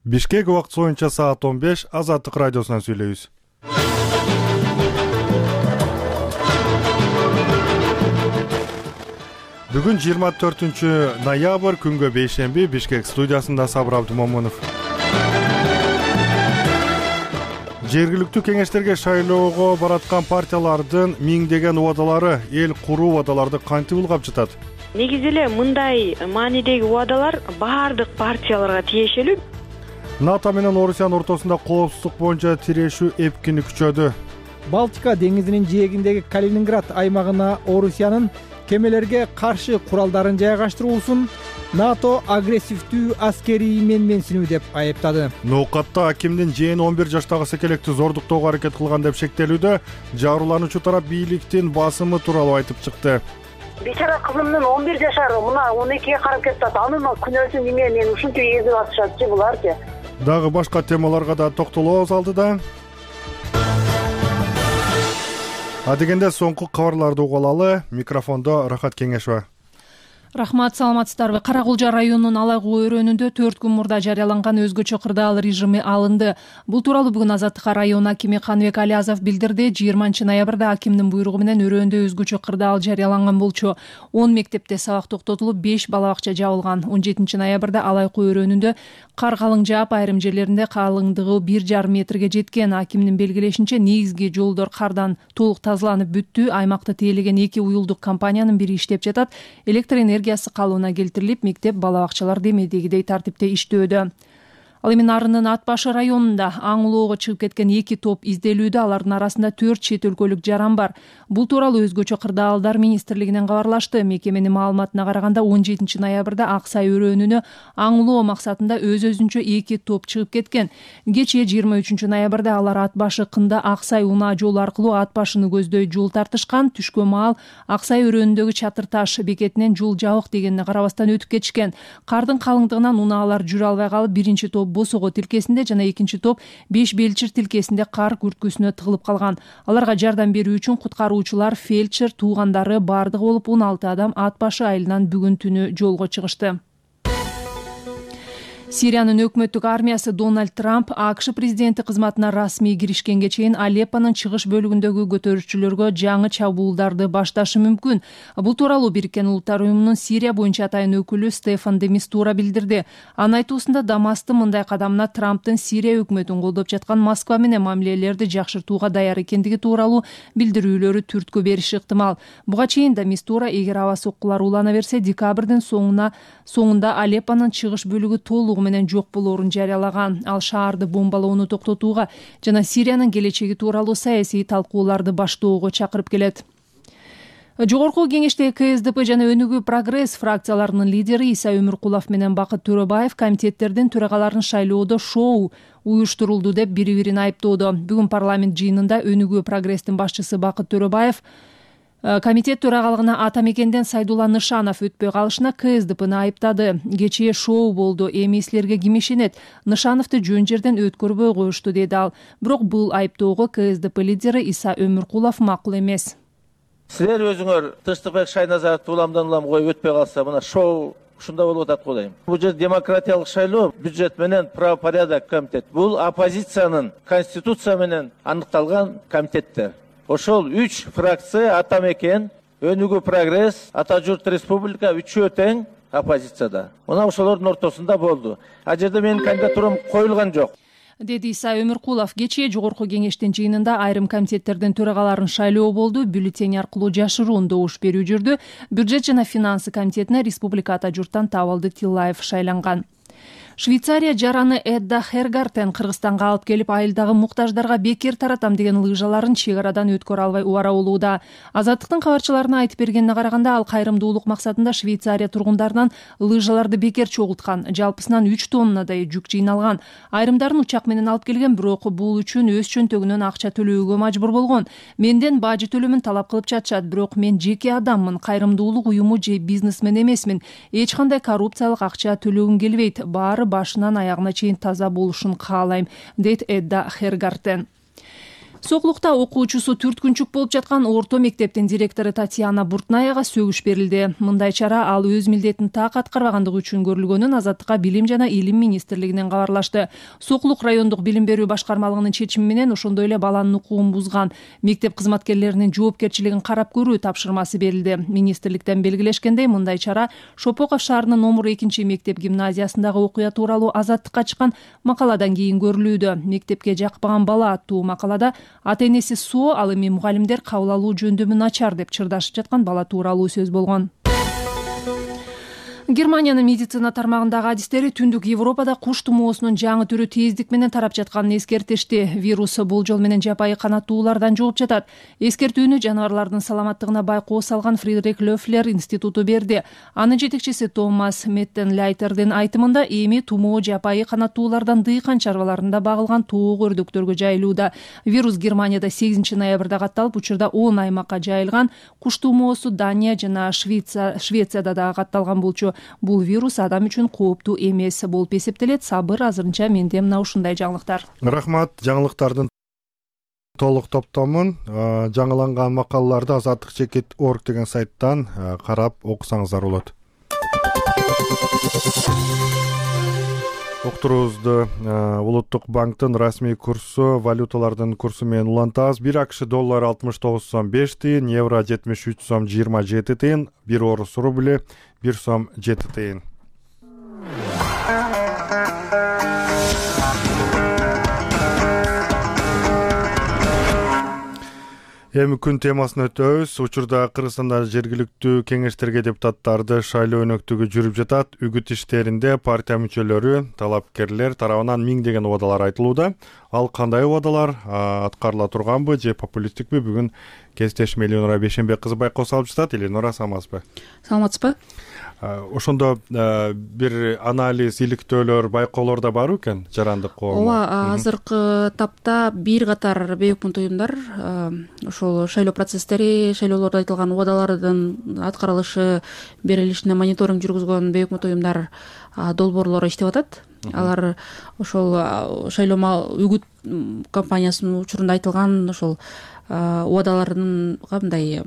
Бишкек убакыты боюнча саат 15 Азаттык радиосунан сүйлөйбүз. Бүгүн 24 ноябрь күнгө бейшемби. Бишкек студиясында Сабыр Абдумомунов. Жергиликтүү кеңештерге шайлоого бараткан партиялардын миңдеген убадалары эл куруу убадаларды кантип ылгап жатат? Негизи эле мындай маанидеги убадалар баардык партияларга тиешелүү. НАТО менен Орусиянын ортосунда коопсуздук боюнча тирешүү эпкини күчөдү. Балтика деңизинин жээгиндеги Калининград аймагына Орусиянын кемелерге каршы куралдарын жайгаштыруусун НАТО агрессивдүү аскерий менменсинүү деп айыптады. Ноокатта акимдин жээн 11 жаштагы секелекти зордуктоого аракет кылган деп шектелүүдө. Жабырлануучу тарап бийликтин басымы тууралуу айтып чыкты. Бечара кызымдын 11 жашары мына 12ге карап кетти. Анын күнөөсү эмне? Мен ушинтип эзип атышатчы буларчы. Дагы башка темаларга да токтолобуз алдыда. Адегенде соңку кабарларды угуп алалы. Микрофондо Рахат Кеңешова. Рахмат, саламатсыздарбы? Каракулжа районунун Алайгуу өрөөнүндө 4 күн мурда жарыяланган өзгөчө кырдаал режими алынды. Бул тууралуу бүгүн Азаттыкка район акими Каныбек Алиязов билдирди. 20 ноябрда акимдин буйругу менен өрөөндө өзгөчө кырдаал жарыяланган болчу. 10 мектепте сабак токтотулуп, 5 бала бакча жабылган. 17 ноябрда Алайгуу өрөөнүндө кар калың жаап, айрым жерлеринде калыңдыгы 1,5 метрге жеткен. Акимдин белгилешинче, негизги жолдор кардан толук тазаланып бүттү. Аймакта тейлеген 2 уюлдук компаниянын бири иштеп жатат. Электр энергиясы калыбына келтирилип, мектеп, бала бакчалар демедегидей тартипте иштөөдө. Ал эми Нарындын Ат башы районунда аң улоого чыгып кеткен 2 топ изделүүдө. Алардын арасында 4 чет өлкөлүк жаран бар. Бул тууралуу өзгөчө кырдаалдар министрлигинен кабарлашты. Мекеменин маалыматына караганда 17 ноябрда Аксай өрөөнүнө аң улоо максатында өз-өзүнчө 2 топ чыгып кеткен. Кечээ 23 ноябрда алар Ат башы кында Аксай унаа жолу аркылуу Ат башыны көздөй жол тартышкан. Түшкө маал Аксай өрөөнүндөгү Чатыр таш бекетинен жол жабык дегенине карабастан өтүп кетишкен. Кардын калыңдыгынан унаалар жүрө албай калып, биринчи топ Босого тилкесинде жана экинчи топ Беш Белчир тилкесинде кар күрткүсүнө тыгылып калган. Аларга жардам берүү үчүн куткаруучулар, фельдшер, туугандары бардыгы болуп 16 адам Ат башы айылынан бүгүн түнү жолго чыгышты. Сириянын өкмөттүк армиясы Дональд Трамп АКШ президенти кызматына расмий киришкенге чейин Алеппонун чыгыш бөлүгүндөгү көтөрүүчүлөргө жаңы чабуулдарды башташы мүмкүн. Бул тууралуу Бириккен Улуттар уюмунун Сирия боюнча атайын өкүлү Стефан де Мистура билдирди. Анын айтуусунда Дамасктын мындай кадамына Трамптын Сирия өкмөтүн колдоп жаткан Москва менен мамилелерди жакшыртууга даяр экендиги тууралуу билдирүүлөрү түрткү бериши ыктымал. Буга чейин де Мистура, эгер аба соккулар улана берсе, декабрдын соңунда Алеппонун чыгыш бөлүгү толугу менен жок болоорун жарыялаган. Ал шаарды бомбалоону токтотууга жана Сириянын келечеги тууралуу саясий талкууларды баштоого чакырып келет. Жогорку кеңештеги КСДП жана Өнүгүү Прогресс фракцияларынын лидери Иса Өмүркулов менен Бакыт Төрөбаев комитеттердин төрагаларын шайлоодо шоу уюштурулду деп бири-бирин айыптоодо. Бүгүн парламент жыйынында Өнүгүү Прогресстин башчысы Бакыт Төрөбаев комитет төрагалыгына Ата Мекенден Сайдулла Нышанов өтпөй калышына КСДПны айыптады. Кечээ шоу болду, эми силерге ким ишенет? Нышановду жөн жерден өткөрбөй коюшту, деди ал. Бирок бул айыптоого КСДП лидери Иса Өмүркулов макул эмес. Силер өзүңөр Тынчтыкбек Шайназаровду улам коюп өтпөй калса, мына шоу ушунда болуп атат го дейм. Бул жер демократиялык шайлоо, бюджет менен правопорядок комитет. Бул оппозициянын конституция менен аныкталган комитеттер. Ошол 3 фракция Ата Мекен, Өнүгүү Прогресс, Ата Журт Республика үчөө тең оппозицияда. Мына ошолордун ортосунда болду. А жерде менин кандидатурам коюлган жок, деди Иса Өмүркулов. Кечээ жогорку кеңештин жыйынында айрым комитеттердин төрагаларын шайлоо болду. Бюллетень аркылуу жашыруун добуш берүү жүрдү. Бюджет жана финансы комитетине республика Ата Журттан Табалды Тиллаев шайланган. Швейцария жараны Эдда Хергартен Кыргызстанга алып келип, айылдагы муктаждарга бекер таратам деген лыжаларын чек арадан өткөрө албай убара болууда. Азаттыктын кабарчыларына айтып бергенине караганда, ал кайрымдуулук максатында Швейцария тургундарынан лыжаларды бекер чогулткан. Жалпысынан 3 тоннадай жүк жыйналган. Айрымдарын учак менен алып келген, бирок бул үчүн өз чөнтөгүнөн акча төлөөгө мажбур болгон. Менден бажы төлөмүн талап кылып жатышат, бирок мен жеке адаммын, кайрымдуулук уюму же бизнесмен эмесмин. Эч кандай коррупциялык акча төлөгүм келбейт. Баары башынан аягына чейин таза болушун каалайм, дейт Эдда Хергартен. Сокулукта окуучусу түрткүнчүк болуп жаткан орто мектептин директору Татьяна Буртнаяга сөгүш берилди. Мындай чара ал өз милдетин так аткарбагандыгы үчүн көрүлгөнүн Азаттыкка Билим жана Илим министрлигинен кабарлашты. Сокулук райондук билим берүү башкармалыгынын чечими менен ошондой эле баланын укугун бузган мектеп кызматкерлеринин жоопкерчилигин карап көрүү тапшырмасы берилди. Министрликтен белгилешкендей, мындай чара Шопоков шаарынын номер 2 мектеп гимназиясындагы окуя тууралуу Азаттыкка чыккан макаладан кийин көрүлүүдө. Мектепке жакпаган бала аттуу макалада ата-энеси соо, ал эми мугалимдер кабыл алуу жөндөмү начар деп чырдашып жаткан бала тууралуу сөз болгон. Германиянын медицина тармагындагы адистери түндүк Европада куш тумоосунун жаңы түрү тездик менен тарап жатканын эскертишти. Вирус бул жол менен жапайы канаттуулардан жугуп жатат. Эскертүүнү жаныбарлардын саламаттыгына байкоо салган Фридрих Лёфлер институту берди. Анын жетекчиси Томас Меттенлайтердин айтымында эми тумоо жапайы канаттуулардан дыйкан чарбаларында багылган тоок өрдөктөргө жайылууда. Вирус Германияда 8 ноябрда катталып, учурда 10 аймакка жайылган. Куш тумоосу Дания жана Швецияда да катталган болчу. Бул вирус адам үчүн кооптуу эмес болуп эсептелет. Сабыр, азырынча менде мына ушундай жаңылыктар. Рахмат. Жаңылыктардын толук топтомун жаңыланган макалаларды azatlik.org деген сайттан карап окусаңыздар болот. Уктуруубузду Улуттук банктын расмий курсу, валюталардын курсу менен улантабыз. 1 АКШ доллары 69 сом 5 тыйын, евро 73 сом 27 тыйын, 1 орус рубли 1 сом 7 тыйын. Эми күн темасын өтөбүз. Учурда Кыргызстанда жергиликтүү кеңештерге депутаттарды шайлоо өнөктүгү жүрүп жатат. Үгүт иштеринде партия мүчөлөрү, талапкерлер тарабынан миңдеген убадалар айтылууда. Ал кандай убадалар, аткарыла турганбы же популисттикпи? Бүгүн кесиптешим Эленора Бейшенбек кызы байкоо салып жатат. Эленора, саламатсызбы? Саламатсызбы? Ошондо бир анализ, иликтөөлөр, байкоолор да бар экен жарандык коом. Ооба, азыркы тапта бир катар бейөкмөт уюмдар ошол шайлоо процесстери, шайлоолордо айтылган убадалардын аткарылышы берилишине мониторинг жүргүзгөн бейөкмөт уюмдар долбоорлору иштеп атат. Алар ошол шайлоо үгүт кампаниясынын учурунда айтылган ошол убадаларынын кандай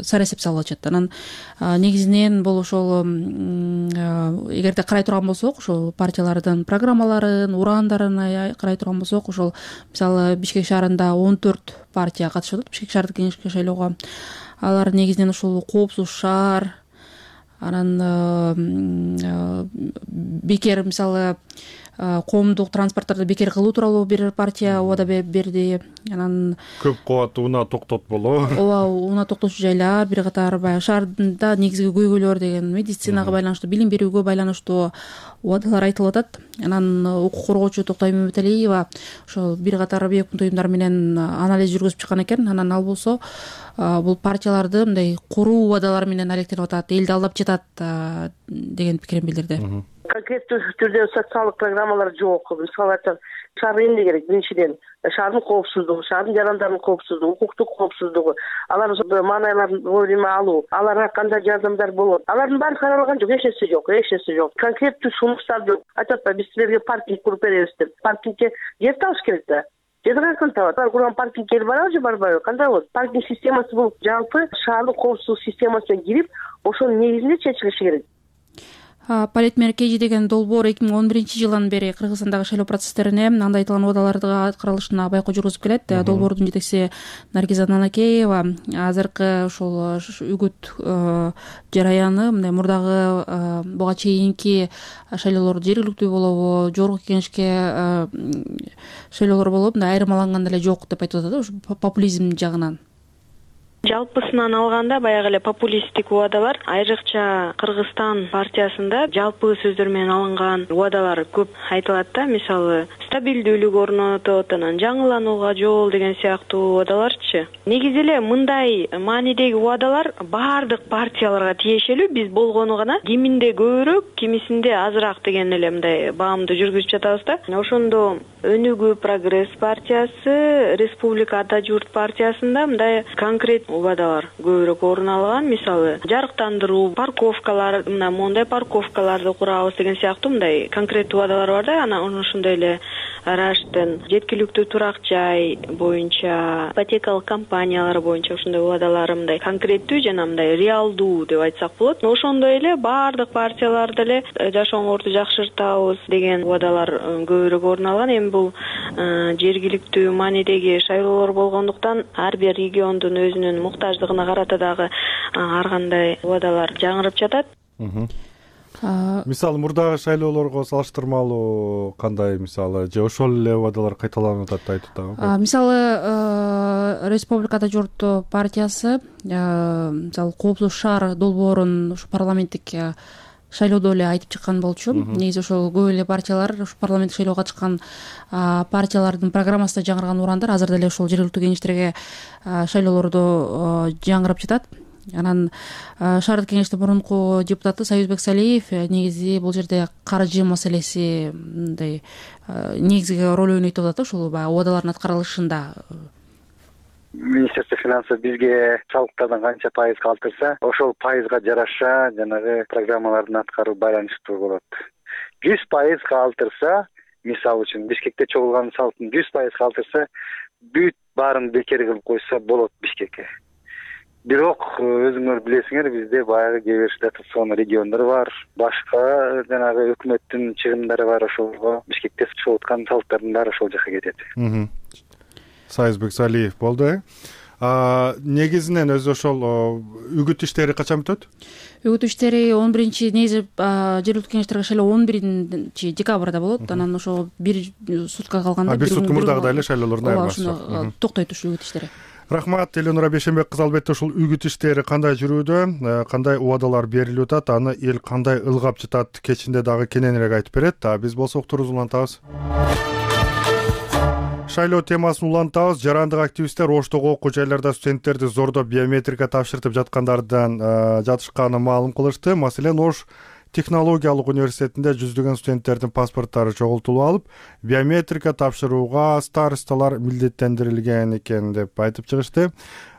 сара эсеп салып атышат. Анан негизинен бул ошол эгерде карай турган болсок, ошол партиялардын программаларын, ураандарын карай турган болсок, ошол мисалы Бишкек шаарында 14 партия катышып атат Бишкек шаардык кеңешке шайлоого. Алар негизинен ошол коопсуз шаар, анан бекер мисалы коомдук транспорттарды бекер кылуу тууралуу бир партия убада берди. Анан көп кабаттуу унаа токтотполоо. Ооба, унаа токтотуучу жайлар, бир катар баягы шаарда негизги көйгөйлөр деген медицинага байланыштуу, билим берүүгө байланыштуу убадалар айтылып атат. Анан укук коргоочу Токтой Мөмөталиева ошол бир катар бейөкмөт уюмдар менен анализ жүргүзүп чыккан экен. Анан ал болсо бул партияларды мындай куруу убадалар менен алектенип атат, элди алдап жатат деген пикирин билдирди. Конкреттүү түрдө социалдык программалар жок. Мисалы айтсак, шаар эмне керек? Биринчиден, шаардын коопсуздугу, шаардын жарандардын коопсуздугу, укуктук коопсуздугу, алар маанайларын вовремя алуу, аларга кандай жардамдар болот. Алардын баары каралган жок, эч нерсе жок. Конкреттүү сунуштарды айтат да, биз силерге паркинг куруп беребиз деп. Паркингге жер табыш керек да. Жерди кантип табат? Алар курган паркинг жери барбы же барбайбы? Кандай болот? Паркинг системасы бул жалпы шаардын коопсуздук системасына кирип, ошонун негизинде чечилиши керек. Политмеркеji деген долбоор 2011-жылдан бери Кыргызстандагы шайлоо процесстерине анда айтылган убадаларды аткарылышына байкоо жүргүзүп келет. Долбоордун жетекчиси Наргиза Нанакеева азыркы ошол үгүт жараяны мындай мурдагы буга чейинки шайлоолор жергиликтүү болобу, жогорку кеңешке шайлоолор болобу мындай айырмаланган эле жок деп айтып атат, ошо популизм жагынан. Жалпысынан алганда баягы эле популисттик убадалар, айрыкча Кыргызстан партиясында жалпы сөздөр менен алынган убадалар көп айтылат да. Мисалы, стабилдүүлүк орнотот, анан жаңыланууга жол деген сыяктуу убадаларчы. Негизи эле мындай маанидеги убадалар баардык партияларга тиешелүү, биз болгону гана киминде көбүрөөк, кимисинде азыраак деген эле мындай баамды жүргүзүп жатабыз да. Ошондо Өнүгүү Прогресс партиясы, Республика Ата журт партиясында мындай конкрет убадалар көбүрөөк орун алган. Мисалы, жарыктандыруу, парковкалар, мына мондай парковкаларды курабыз деген сыяктуу мындай конкрет убадалар бар да. Анан ошондой эле раштын жеткиликтүү турак жай боюнча ипотекалык компаниялар боюнча ушундай убадалар мындай конкреттүү жана мындай реалдуу деп айтсак болот. Ошондой эле баардык партиялар деле жашооңорду жакшыртабыз деген убадалар көбүрөөк орун алган. Эми бул жергиликтүү маанидеги шайлоолор болгондуктан ар бир региондун өзүнүн муктаждыгына карата дагы ар кандай убадалар жаңырып жатат. Мисалы мурдагы шайлоолорго салыштырмалуу кандай мисалы же ошол эле убадалар кайталанып атат айтып атабы? Мисалы Республикада жогорку партиясы мисалы Коопсуз шаар долбоорун ушу парламенттик шайлоодо эле айтып чыккан болчу. Негизи ошол көп эле партиялар ушу парламенттик шайлоого чыккан партиялардын программасында жаңырган урандар азыр деле ошол жергиликтүү кеңештерге шайлоолордо жаңырып жатат. Анан шаардык кеңештин мурунку депутаты Союзбек Салиев негизи бул жерде каржы маселеси мындай негизги роль ойнойт деп атат ошол убадалардын аткарылышында. Министерство финансов бизге салыктардан канча пайыз калтырса, ошол пайызга жараша жанагы программалардын аткаруу байланыштуу болот. 100% калтырса, мисалы үчүн Бишкекте чогулган салыктын 100% калтырса, бүт баарын бекер кылып койсо болот Бишкекке. Бирок өзүңөр билесиңер, бизде баягы кээ бир дотацион региондор бар, башка жанагы өкмөттүн чыгымдары бар, ошолго Бишкекте чыгып аткан салыктардын баары ошол жака кетет. Союзбек Салиев болду. Негизинен өзү ошол үгүт иштери качан бүтөт? Үгүт иштери 11 негизи жергиликтүү кеңештерге шайлоо 11 декабрда болот. Анан ошо бир сутка калганда бир сутка мурдагыдай эле шайлоолордун айырмасы. Токтойт ушул үгүт иштери. Рахмат, Эленура Бейшенбек кызы. Албетте ушул үгүт иштери кандай жүрүүдө, кандай убадалар берилип атат, аны эл кандай ылгап жатат кечинде дагы кененирээк айтып берет. Биз болсок туруз улантабыз. Шайлоо темасын улантабыз. Жарандык активисттер Оштогу окуу жайларда студенттерди зордоп биометрика тапшыртып жаткандардан жатышканын маалым кылышты. Маселен, Ош технологиялык университетинде жүздөгөн студенттердин паспорттары чогултулуп алып, биометрика тапшырууга старосталар милдеттендирилген экен деп айтып чыгышты.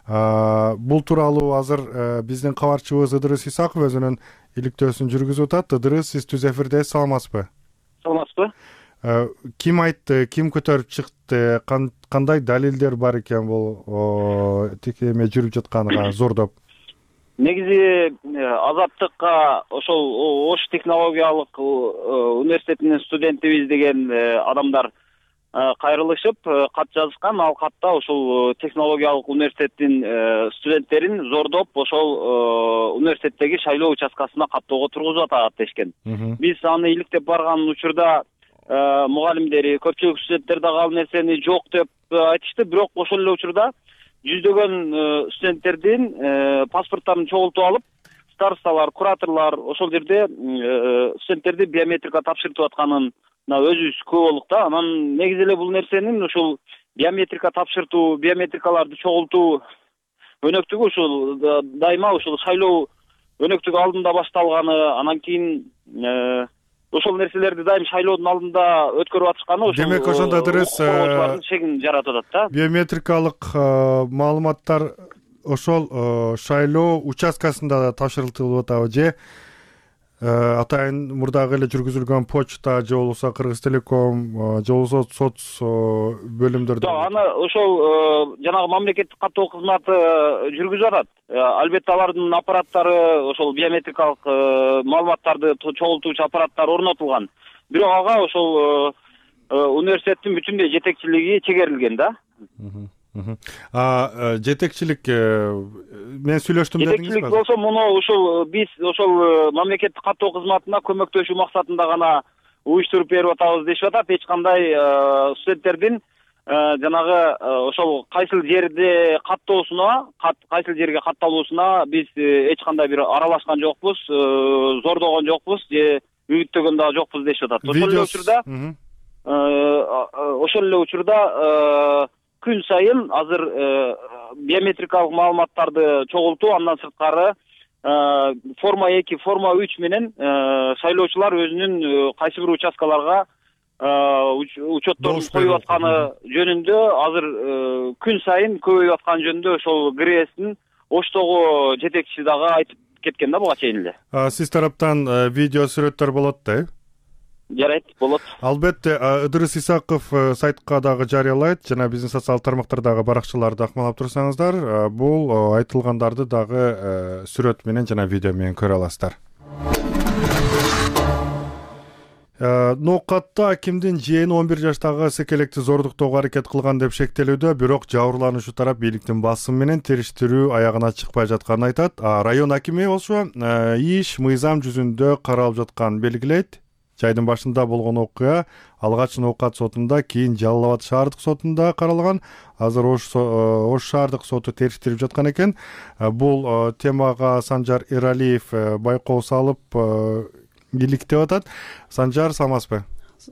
Бул тууралуу азыр биздин кабарчыбыз Ыдырыс Исаков өзүнүн иликтөөсүн жүргүзүп атат. Ыдырыс, сиз түз эфирде, саламатсызбы? Саламатсызбы? Ким айтты, ким көтөрүп чыкты, кандай далилдер бар экен бул текеме жүрүп жатканына зордоп? Негизи Азаттыкка ошол Ош технологиялык университетинин студентибиз деген адамдар кайрылышып кат жазышкан. Ал катта ошол технологиялык университеттин студенттерин зордоп ошол университеттеги шайлоо участкасына каттоого тургузуп атат дешкен. Биз аны иликтеп барган учурда мугалимдери, көпчүлүк студенттер дагы ал нерсени жок деп айтышты. Бирок ошол эле учурда жүздөгөн студенттердин паспорттарын чогултуп алып, старосталар, кураторлор ошол жерде студенттерди биометрика тапшыртып атканына өзүбүз күбө болдук да. Анан негизи эле бул нерсенин ушул биометрика тапшыртуу, биометрикаларды чогултуу өнөктүгү ушул дайыма ушул шайлоо өнөктүгү алдында башталганы, анан кийин ошол нерселерди дайым шайлоодун алдында өткөрүп атышканы ошол. Демек ошондо дырыс шегин жаратып атат да. Биометрикалык маалыматтар ошол шайлоо участкасында тапшырылып атабы же атайын мурдагы эле жүргүзүлгөн почта же болбосо Кыргыз Телеком же болбосо соц бөлүмдөрдө? Аны ошол жанагы мамлекеттик каттоо кызматы жүргүзүп атат. Албетте алардын аппараттары, ошол биометрикалык маалыматтарды чогултуучу аппараттар орнотулган. Бирок ага ошол университеттин бүтүндөй жетекчилиги чегерилген да. Жетекчилик мен сүйлөштүм дедиңизби? Жетекчилик болсо муну ушул биз ошол мамлекеттик каттоо кызматына көмөктөшүү максатында гана уюштуруп берип атабыз дешип атат. Эч кандай студенттердин жанагы ошол кайсыл жерде каттоосуна, кайсыл жерге катталуусуна биз эч кандай бир аралашкан жокпуз, зордогон жокпуз же үгүттөгөн дагы жокпуз дешип атат. Ошол эле учурда күн сайын азыр биометрикалык маалыматтарды чогултуу, андан сырткары форма 2, форма 3 менен шайлоочулар өзүнүн кайсы бир участкаларга учетторун коюп атканы жөнүндө азыр күн сайын көбөйүп атканы жөнүндө ошол ГРСтин Оштогу жетекчиси дагы айтып кеткен да буга чейин эле. Сиз тараптан видео сүрөттөр болот да? жарайт, болот. Албетте, Ыдырыс Исаков сайтка дагы жарыялайт жана биздин социалдык тармактардагы баракчаларды акмалап турсаңыздар, бул айтылгандарды дагы сүрөт менен жана видео менен көрө аласыздар. Ноокатта акимдин жээни 11 жаштагы секелекти зордуктоого аракет кылган деп шектелүүдө, бирок жабырлануучу тарап бийликтин басымы менен териштирүү аягына чыкпай жатканын айтат. Район акими болсо иш мыйзам жүзүндө каралып жатканын белгилейт. Жайдын башында болгон окуя алгач Ноокат сотунда, кийин Жалал Абад шаардык сотунда каралган. Азыр Ош шаардык соту териштирип жаткан экен. Бул темага Санжар Эралиев байкоо салып иликтеп атат. Санжар, саламатсызбы?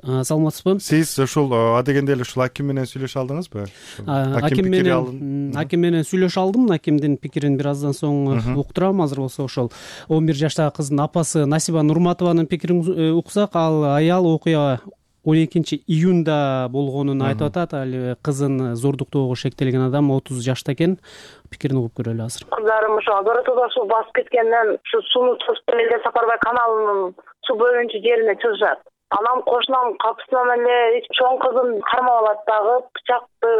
Саламатсызбы. Сиз ушул адегенде эле ушул аким менен сүйлөшө алдыңызбы? Аким менен сүйлөшө алдым. Акимдин пикирин бир аздан соң уктурам. Азыр болсо ошол 11 жаштагы кыздын апасы Насиба Нурматованын пикирин уксак, ал аял окуя 12-июнда болгонун айтып атат. Ал кызын зордуктоого шектелген адам 30 жашта экен. Пикирин угуп көрөлү азыр. Кыздарым ошо Доротоодо суу басып кеткенден ушу сууну Элдер Сапарбай каналынын суу бөлүнчү жерине чыгышат. Анам кошунам капысынан эле чоң кызым кармап алат дагы, бычакты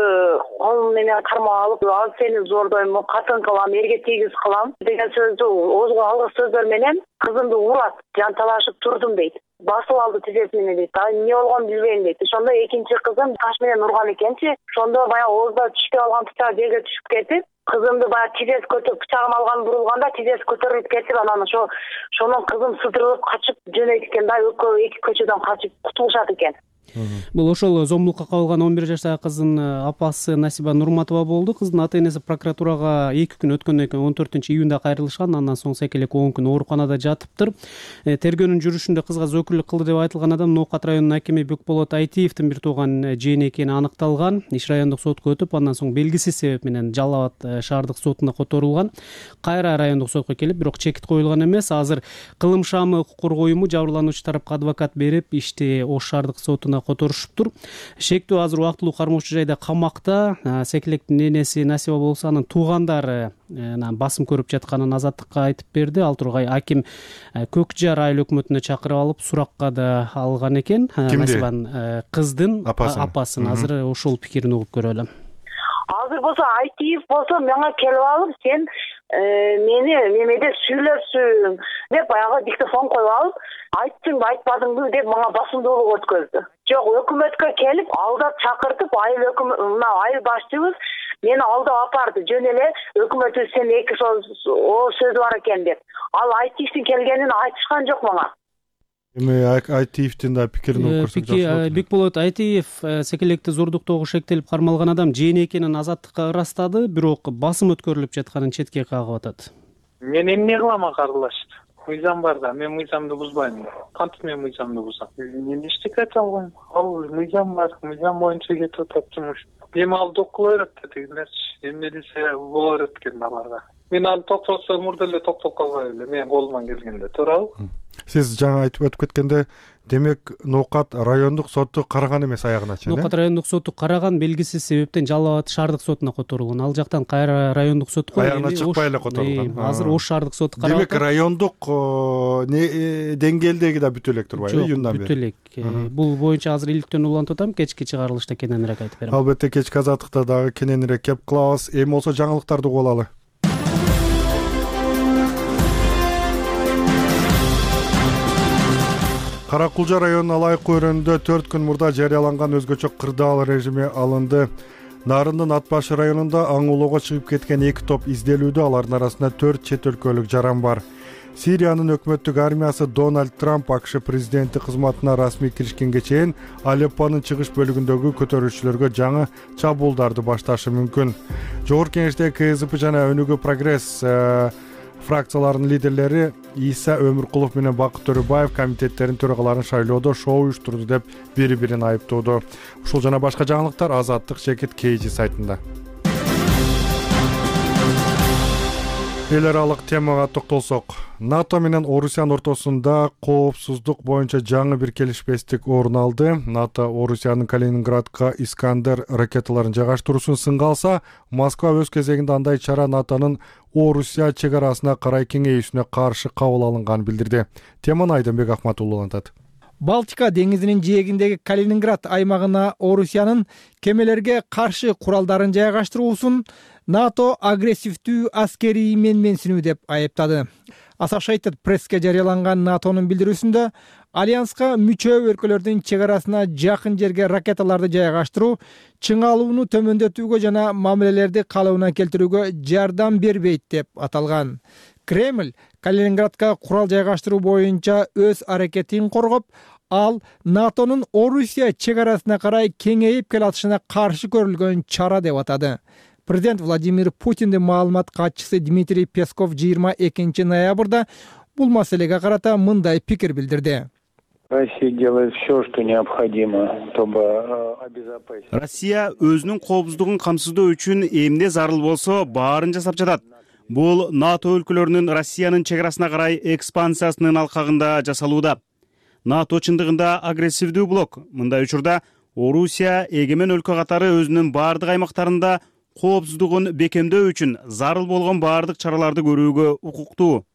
колум менен кармап алып, ал сени зордойм, катын кылам, эрге тийгиз кылам деген сөздү оозго алгыс сөздөр менен кызымды урат, жан талашып турдум дейт. Басып алды тизеси менен дейт. Эмне болгонун билбейм дейт. Ошондо экинчи кызым таш менен урган экенчи. Ошондо баягы оозда түшкө алган бычак жерге түшүп кетип, кызымды баягы тизеси көтөрүп, бычагын алган бурулганда тизеси көтөрүлүп кетип, анан ошонун кызым сыдырылып качып жөнөйт экен да, экөө эки көчөдөн качып кутулушат экен. Бул ошол зомбулукка кабылган 11 жаштагы кыздын апасы Насиба Нурматова болду. Кыздын ата-энеси прокуратурага 2 күн өткөндөн кийин 14-июнда кайрылышкан. Андан соң секелек 10 күн ооруканада жатыптыр. Тергөөнүн жүрүшүндө кызга зөкүрлүк кылды деп айтылган адам Ноокат районунун акими Бекболот Айтиевдин бир тууган жээни экени аныкталган. Иш райондук сотко өтүп, андан соң белгисиз себеп менен Жалал Абад шаардык сотуна которулган. Кайра райондук сотко келип, бирок чекит коюлган эмес. Азыр Кылым Шаамы укук коргоо уюму жабырлануучу тарапка адвокат берип, ишти Ош шаардык сотуна которушуптур. Шектүү азыр убактылуу кармоочу жайда камакта. Секелектин энеси Насиба болсо анын туугандары басым көрүп жатканын азаттыкка айтып берди. Ал тургай аким Көк Жар айыл өкмөтүнө чакырып алып суракка да алган экен. Насибанын кыздын апасын. Азыр ошол пикирин угуп көрөлү. Азыр болсо Айтиев болсо мага келип алып, сен мени немеде сүйлөпсүң деп баягы диктофон коюп алып, айттыңбы, айтпадыңбы деп мага басымдуулук өткөздү. Жок, өкмөткө келип, алдап чакыртып, айыл башчыбыз мени алдап апарды. Жөн эле өкмөтүбүз сен эки сөзү бар экен деп. Ал Айтиевдин келгенин айтышкан жок мага. Эми Айтиевдин да пикирин угуп көрсөк жакшы. Бекболот Айтиев секелекти зордуктоого шектелип кармалган адам жээни экенин азаттыкка ырастады, бирок басым өткөрүлүп жатканын четке кагып атат. Мен эмне кылам акырылашты? Мыйзам бар да, мен мыйзамды бузбайм. Кантип мен мыйзамды бузам? Мен эчтеке айта албайм. Ал мыйзам бар, мыйзам боюнча кетип атат жумуш. Эми ал кыла берет дегилерчи. Эмне десе боло берет экен аларга. Мен аны токтотсом мурда эле токтоп калбай эле, мен колуман келгенде, туурабы? Сиз жаңа айтып өтүп кеткенде, демек Ноокат райондук соту караган эмес аягыначы. Ноокат райондук соту караган, белгисиз себептен Жалал Абад шаардык сотуна которулган. Ал жактан кайра райондук сотко аягына чыкпай эле которулган. Азыр Ош шаардык соту карап. Демек райондук деңгээлдеги да бүтө элек турбайбы, июндан бери? Бүтө элек. Бул боюнча азыр иликтөөнү улантып атам, кечки чыгарылышта кененирээк айтып берем. Албетте кечки азаттыкта дагы кененирээк кеп кылабыз. Эми болсо жаңылыктарды угуп алалы. Кара Кулжа районунун Алайкы өрөөнүндө 4 күн мурда жарыяланган өзгөчө кырдаал режими алынды. Нарындын Ат башы районунда аң улоого чыгып кеткен 2 топ изделүүдө, алардын арасында 4 чет өлкөлүк жаран бар. Сириянын өкмөттүк армиясы Дональд Трамп АКШ президенти кызматына расмий киришкенге чейин Алеппонун чыгыш бөлүгүндөгү көтөрүүчүлөргө жаңы чабуулдарды башташы мүмкүн. Жогорку Кеңештеги КСДП жана Өнүгүү Прогресс фракцияларынын лидерлери Иса Өмүркулов менен Бакыт Төрөбаев комитеттердин төрагаларын шайлоодо шоу уюштурду деп бири-бирин айыптоодо. Ушул жана башка жаңылыктар Азаттык Жекит KG сайтында. Эл аралык темага токтолсок, НАТО менен Орусиянын ортосунда коопсуздук боюнча жаңы бир келишпестик орун алды. НАТО Орусиянын Калининградка Искандер ракеталарын жайгаштыруусун сынга алса, Москва өз кезегинде андай чара НАТОнун Орусия чек арасына карай кеңейүүсүнө каршы кабыл алынганын билдирди. Теманы Айдынбек Ахматуллу улантат. Балтика деңизинин жээгиндеги Калининград аймагына Орусиянын кемелерге каршы куралдарын жайгаштыруусун НАТО агрессивдүү аскерий менменсинүү деп айыптады. Associated Press'ке жарыяланган НАТОнун билдирүүсүндө альянска мүчө өлкөлөрдүн чек арасына жакын жерге ракеталарды жайгаштыруу чыңалууну төмөндөтүүгө жана мамилелерди калыбына келтирүүгө жардам бербейт деп аталган. Кремль Калининградка курал жайгаштыруу боюнча өз аракетин коргоп, ал НАТОнун Орусия чек арасына карай кеңейип келатышына каршы көрүлгөн чара деп атады. Президент Владимир Путиндин маалымат катчысы Дмитрий Песков 22 ноябрда бул маселеге карата мындай пикир билдирди. Россия делает все, что необходимо, чтобы обезопасить. Россия өзүнүн коопсуздугун камсыздоо үчүн эмне зарыл болсо баарын жасап жатат. Бул НАТО өлкөлөрүнүн Россиянын чек арасына карай экспансиясынын алкагында жасалууда. НАТО чындыгында агрессивдүү блок. Мындай учурда Орусия эгемен өлкө катары өзүнүн баардык аймактарында коопсуздугун бекемдөө үчүн зарыл болгон баардык чараларды көрүүгө укуктуу.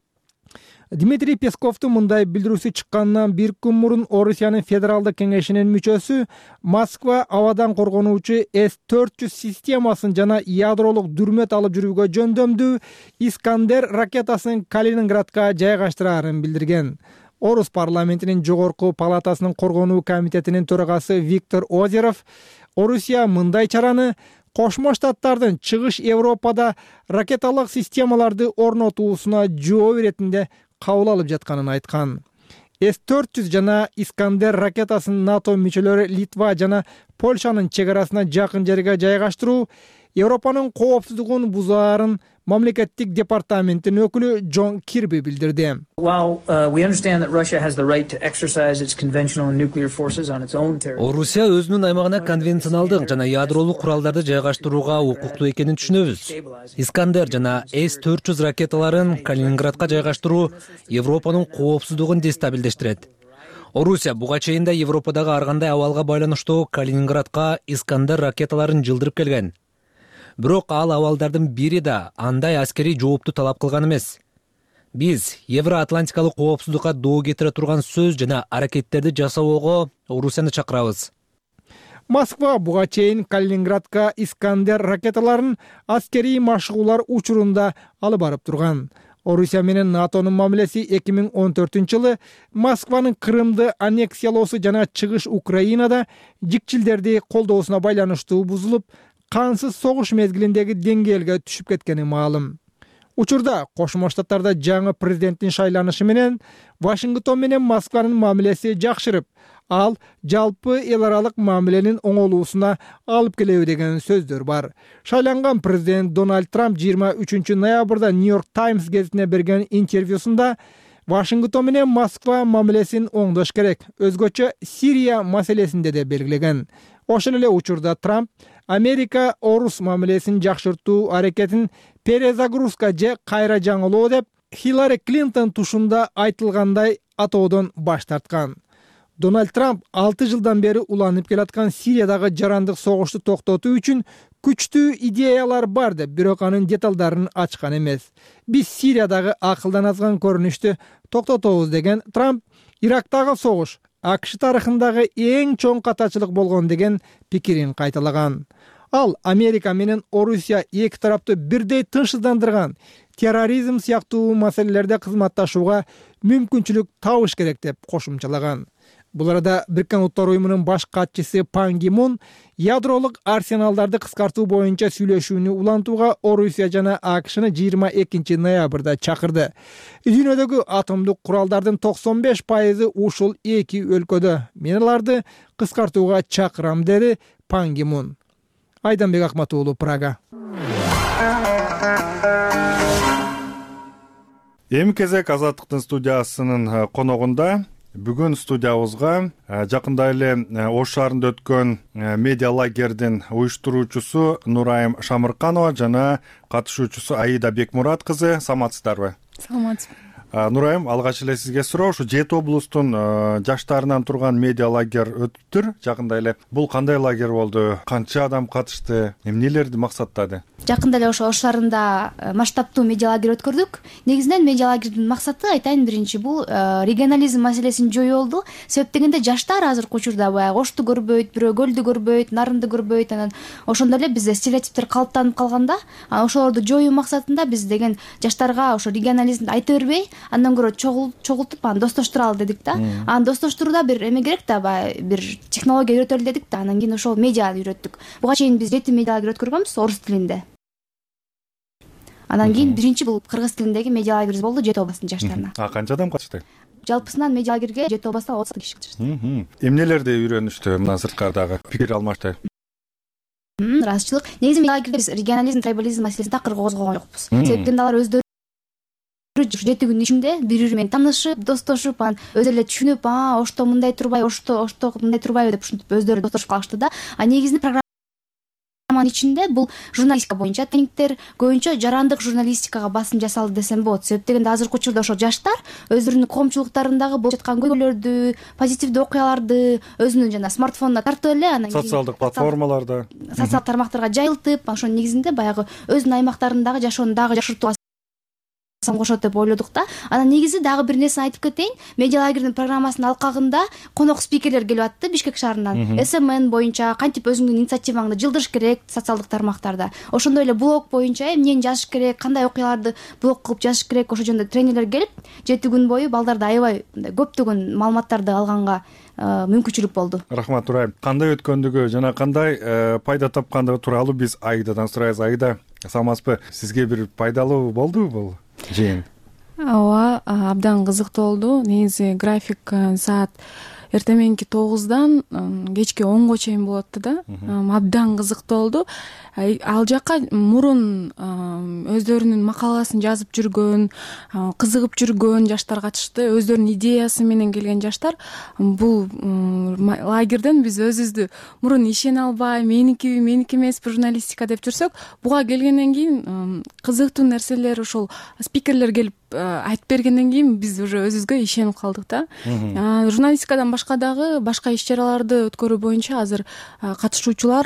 Дмитрий Песковдун мындай билдирүүсү чыкканынан бир күн мурун Орусиянын федералдык кеңешинин мүчөсү Москва абадан коргонуучу С-400 системасын жана ядролук дүрмөт алып жүрүүгө жөндөмдүү Искандер ракетасын Калининградка жайгаштыраарын билдирген. Орус парламентинин жогорку палатасынын коргонуу комитетинин төрагасы Виктор Озеров Орусия мындай чараны Кошмо Штаттардын чыгыш Европада ракеталык системаларды орнотуусуна жооп иретинде кабыл алып жатканын айткан. С-400 жана Искандер ракетасын НАТО мүчөлөрү Литва жана Польшанын чек арасына жакын жерге жайгаштыруу Европанын коопсуздугун бузаарын мамлекеттик департаменттин өкүлү Джон Кирби билдирди. Орусия өзүнүн аймагына конвенционалдык жана ядролук куралдарды жайгаштырууга укуктуу экенин түшүнөбүз. Искандер жана С-400 ракеталарын Калининградка жайгаштыруу Европанын коопсуздугун дестабилдештирет. Орусия буга чейин да Европадагы ар кандай абалга байланыштуу Калининградка Искандер ракеталарын жылдырып келген. Бирок ал абалдардын бири да андай аскерий жоопту талап кылган эмес. Биз Евроатлантикалык коопсуздукка доо кетире турган сөз жана аракеттерди жасоого Орусияны чакырабыз. Москва буга чейин Калининградка Искандер ракеталарын аскерий машыгуулар учурунда алып барып турган. Орусия менен НАТОнун мамилеси 2014-жылы Москванын Крымды аннексиялоосу жана чыгыш Украинада жикчилдерди колдоосуна байланыштуу бузулуп, кансыз согуш мезгилиндеги деңгээлге түшүп кеткени маалым. Учурда Кошмо Штаттарда жаңы президенттин шайланышы менен Вашингтон менен Москванын мамилеси жакшырып, ал жалпы эл аралык мамиленин оңолуусуна алып келеби деген сөздөр бар. Шайланган президент Дональд Трамп 23 ноябрда Нью-Йорк Таймс гезитине берген интервьюсунда Вашингтон менен Москва мамилесин оңдош керек, өзгөчө Сирия маселесинде де белгилеген. Ошол эле учурда Трамп Америка Орус мамилесин жакшыртуу аракетин перезагрузка же кайра жаңылоо деп Хиллари Клинтон тушунда айтылгандай атоодон баш тарткан. Дональд Трамп 6 жылдан бери уланып келаткан Сириядагы жарандык согушту токтотуу үчүн күчтүү идеялар бар деп, бирок анын деталдарын ачкан эмес. Биз Сириядагы акылдан азган көрүнүштү токтотобуз деген Трамп Ирактагы согуш АКШ тарыхындагы эң чоң катачылык болгон деген пикирин кайталаган. Ал Америка менен Орусия эки тараптуу бирдей тынчсыздандырган терроризм сыяктуу маселелерде кызматташууга мүмкүнчүлүк табыш керек деп кошумчалаган. Бул арада Бириккен Улуттар уюмунун баш катчысы Пан Ги Мун ядролук арсеналдарды кыскартуу боюнча сүйлөшүүнү улантууга Орусия жана АКШны 22 ноябрда чакырды. Дүйнөдөгү атомдук куралдардын 95% ушул эки өлкөдө. Мен аларды кыскартууга чакырам, деди Пан Ги Мун. Айданбек Акмат уулу, Прага. Эми кезек Азаттыктын студиясынын коногунда. Бүгүн студиябызга жакында эле Ош шаарында өткөн медиа лагердин уюштуруучусу Нурайым Шамырканова жана катышуучусу Аида Бекмурат кызы. Саламатсыздарбы? Саламатсыз. Нурайым, алгач эле сизге суроо, ушу Жети облустун жаштарынан турган медиа лагерь өтүптүр жакында эле. Бул кандай лагерь болду? Канча адам катышты? Эмнелерди максаттады? Жакында эле Ош шаарында масштабтуу медиа лагерь өткөрдүк. Негизинен медиа лагердин максаты, айтайын, биринчи бул регионализм маселесин жоюу болду. Себеп дегенде жаштар азыркы учурда баягы Ошту көрбөйт, бирөө Көлдү көрбөйт, Нарынды көрбөйт. Анан ошондой эле бизде стереотиптер калыптанып калганда, ошолорду жоюу максатында биз деген жаштарга ошо регионализмди айта бербей, андан көрө чогултуп анан достоштуралы дедик да. Анан достоштурууда бир эме керек да, баягы бир технология үйрөтөлү дедик да. Анан кийин ошол медианы үйрөттүк. Буга чейин биз 7 медиа лагерь өткөргөнбүз орус тилинде. Анан кийин биринчи бул кыргыз тилиндеги медиа лагерибиз болду Жети областынын жаштарына. Канча адам катышты? Жалпысынан медиа лагерге Жети областта 30 киши катышты. Эмнелерди үйрөнүштү мына сырткардагы? Пикир алмашты. Ыраазычылык. Негизи медиа лагерде биз регионализм, трибализм маселесин такыр козгогон жокпуз. Себеп дегенде алар өздөрү 7 күндүн ичинде бири-бири менен таанышып, достошуп, анан өзү эле түшүнүп, Ошто мындай турбайбы, Ошто мындай турбайбы деп ушинтип өздөрү достошуп калышты да. Негизинде программанын ичинде бул журналистика боюнча тренингдер, көбүнчө жарандык журналистикага басым жасалды десем болот. Себеп дегенде азыркы учурда ошо жаштар өзүнүн коомчулуктарындагы болуп жаткан көйгөйлөрдү, позитивдүү окуяларды өзүнүн жана смартфонуна тартып эле, анан социалдык платформаларда, социалдык тармактарга жайылтып, ошонун негизинде баягы өзүнүн аймактарындагы жашоону дагы жакшыртууга кошот деп ойлодук да. Анан негизи дагы бир нерсени айтып кетейин. Медиа лагердин программасынын алкагында конок спикерлер келип атты Бишкек шаарынан. СМН боюнча кантип өзүңдүн инициативаңды жылдырыш керек социалдык тармактарда. Ошондой эле блог боюнча эмнени жазыш керек, кандай окуяларды блог кылып жазыш керек, ошол жөнүндө тренерлер келип, 7 күн бою балдарды аябай көптөгөн маалыматтарды алганга мүмкүнчүлүк болду. Рахмат, Нурайым. Кандай өткөндүгү жана кандай пайда тапкандыгы тууралуу биз Аидадан сурайбыз. Аида, саламатсызбы? Сизге бир пайдалуу болдубу бул жыйын? Ооба, абдан кызыктуу болду. Негизи график саат эртең мененки 9-дан кечки 10-го чейин болот да. Абдан кызыктуу болду. Ал жака мурун өздөрүнүн макаласын жазып жүргөн, кызыгып жүргөн жаштар катышты. Өздөрүнүн идеясы менен келген жаштар. Бул лагерден биз өзүбүздү мурун ишене албай, меники эмеспи журналистика деп жүрсөк, буга келгенден кийин кызыктуу нерселер, ошол спикерлер келип айтып бергенден кийин биз уже өзүбүзгө ишенип калдык да. Журналистикадан башка дагы башка иш-чараларды өткөрүү боюнча азыр катышуучулар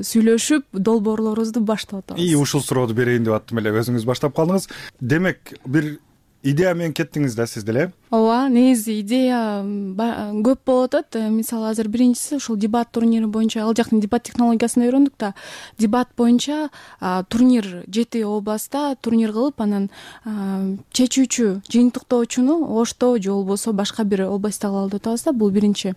сүйлөшүп долбоорлорубузду баштап атабыз. Ушул суроону берейин деп аттым эле, өзүңүз баштап калдыңыз. Демек, бир идея менен кеттиңиз да сиз деле? Ооба, негизи идея көп болуп атат. Мисалы, азыр биринчиси ушул дебат турнири боюнча, ал жактын дебат технологиясын үйрөндүк да. Дебат боюнча турнир 7 областта турнир кылып, анан чечүүчү, жыйынтыктоочуну Ошто же болбосо башка бир областта кылалы деп атабыз да. Бул биринчи.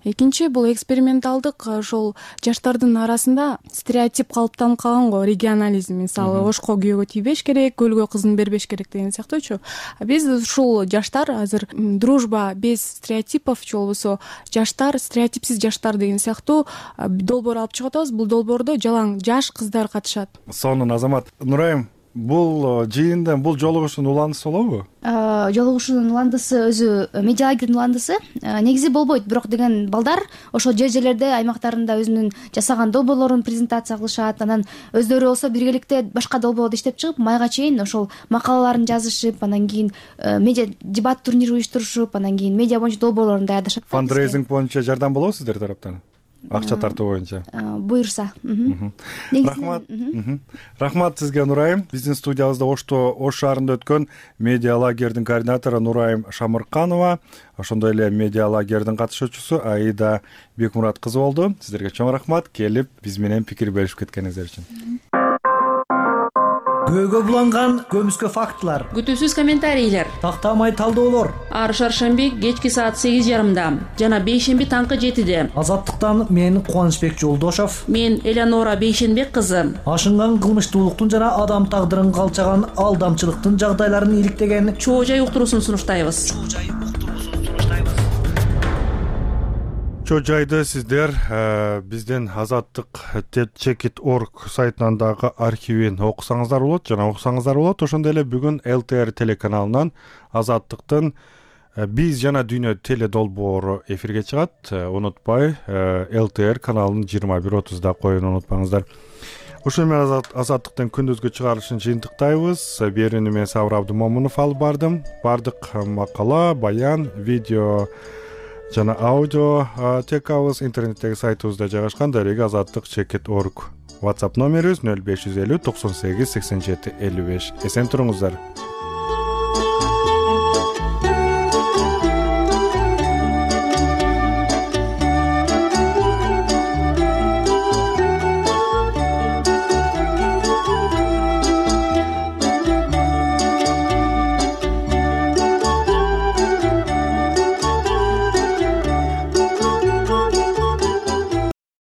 Экинчи, бул эксперименталдык, ошол жаштардын арасында стереотип калыптанып калган го, регионализм. Мисалы, Ошко күйөөгө тийбеш керек, Көлгө кызын бербеш керек деген сыяктуучу. Биз ушул жаштар азыр дружба без стереотипов же болбосо жаштар, стереотипсиз жаштар деген сыяктуу долбоор алып чыгып атабыз. Бул долбоордо жалаң жаш кыздар катышат. Сонун, Азамат. Нурайым, бул жыйындан, бул жолугушуунун уландысы болобу? Жолугушуунун уландысы өзү медиа лагердин уландысы негизи болбойт, бирок деген балдар ошол жерлерде аймактарында өзүнүн жасаган долбоорлорун презентация кылышат, анан өздөрү болсо биргеликте башка долбоорду иштеп чыгып, майга чейин ошол макалаларын жазышып, анан кийин медиа дебат турнирин уюштурушуп, анан кийин медиа боюнча долбоорлорун даярдашат. Фандрейзинг боюнча жардам болобу сиздер тараптан? Акча тартуу боюнча. Буюрса. Рахмат сизге, Нурайым. Биздин студиябызда Ош шаарында өткөн медиа лагердин координатору Нурайым Шамырканова, ошондой эле медиа лагердин катышуучусу Аида Бекмурат кызы болду. Сиздерге чоң рахмат, келип биз менен пикир беришип кеткениңиздер үчүн. Көөгө буланган көмүскө фактылар, күтүүсүз комментарийлер, тактамай талдоолор ар шаршемби кечки саат 8:30 жана бейшемби таңкы 7-де. Азаттыктан мен Кубанычбек Жолдошов, мен Элеонора Бейшенбек кызы. Ашынган кылмыштуулуктун жана адам тагдырын калчаган алдамчылыктын жагдайларын иликтеген чоо жай уктуруусун сунуштайбыз. Чоо жайды сиздер биздин azattik.checkit.org сайтынан дагы архивин окусаңыздар болот жана уксаңыздар болот. Ошондой эле бүгүн ЛТР телеканалынан Азаттыктын биз жана дүйнө теле долбоору эфирге чыгат. Унутпай ЛТР каналын 21:30 коюуну унутпаңыздар. ушуну менен азаттыктын күндүзгү чыгарылышын жыйынтыктайбыз. Берүүнү мен Сабыр Абдымомунов алып бардым. Бардык макала, баян, видео жана аудио текабыз интернеттеги сайтыбызда жайгашкан. Дареги azatlyk.org. WhatsApp номерибиз 0550 98 87 55. Эсен туруңуздар.